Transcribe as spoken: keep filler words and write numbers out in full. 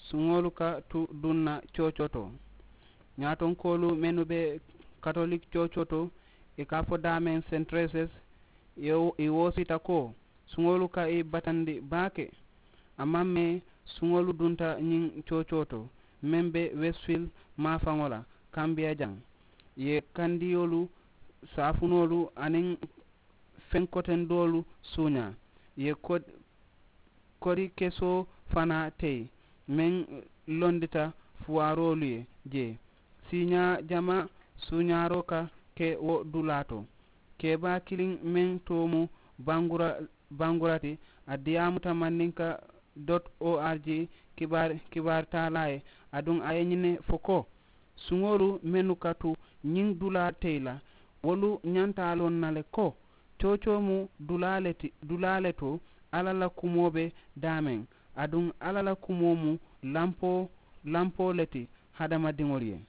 suŋolu ka tu duŋ na coocoo to. Ñaatonkoolu mennu be katolik coocoo to, ì ka a fo daameŋ sentereses, ì woosita ko suŋolu ka ì batandi baake. A maŋ mee suŋolu dunta ñiŋ coocoo to meŋ be wesifil maafaŋo la kambiya jaŋ, ì ye kandiyolu, saafunoolu aniŋ feŋ kotendoolu suuñaa, ì ye kodi kesoo fanaa teyi meŋ londita fuwaaroolu ye jee. Siiñaa jamaa suuñaaroo ka ke wo dulaa to. Kebaa kiliŋ meŋ too mu bangura ti, a diyaamuta mandinka dot org kibaari taalaa ye. Aduŋ a ye ñiŋ ne fo ko suŋolu mennu ka tu ñiŋ dulaa teyi la, wolu ñanta a loŋ na le ko coocoo mu dulaa le to. Alla la kumoo be daameŋ, aduŋ alla la kumoo mu lampoo le ti hadamadiŋolu ye.